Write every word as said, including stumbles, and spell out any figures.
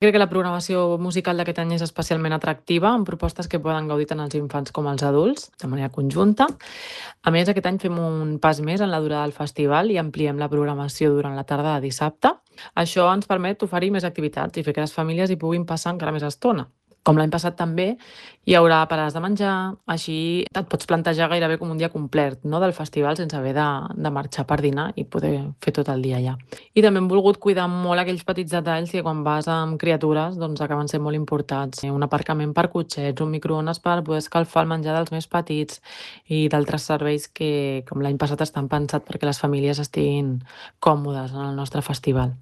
Crec que la programació musical d'aquest any és especialment atractiva, amb propostes que poden gaudir tant els infants com els adults, de manera conjunta. A més, aquest any fem un pas més en la durada del festival i ampliem la programació durant la tarda de dissabte. Això ens permet oferir més activitats i fer que les famílies hi puguin passar encara més estona. Com l'any passat també, hi haurà parades de menjar, així et pots plantejar gairebé com un dia complet, no?, del festival sense haver de, de marxar per dinar i poder fer tot el dia allà. I també hem volgut cuidar molt aquells petits detalls que quan vas amb criatures doncs acaben sent molt importants. Un aparcament per cotxets, un microones per poder escalfar el menjar dels més petits i d'altres serveis que, com l'any passat, estan pensats perquè les famílies estiguin còmodes en el nostre festival.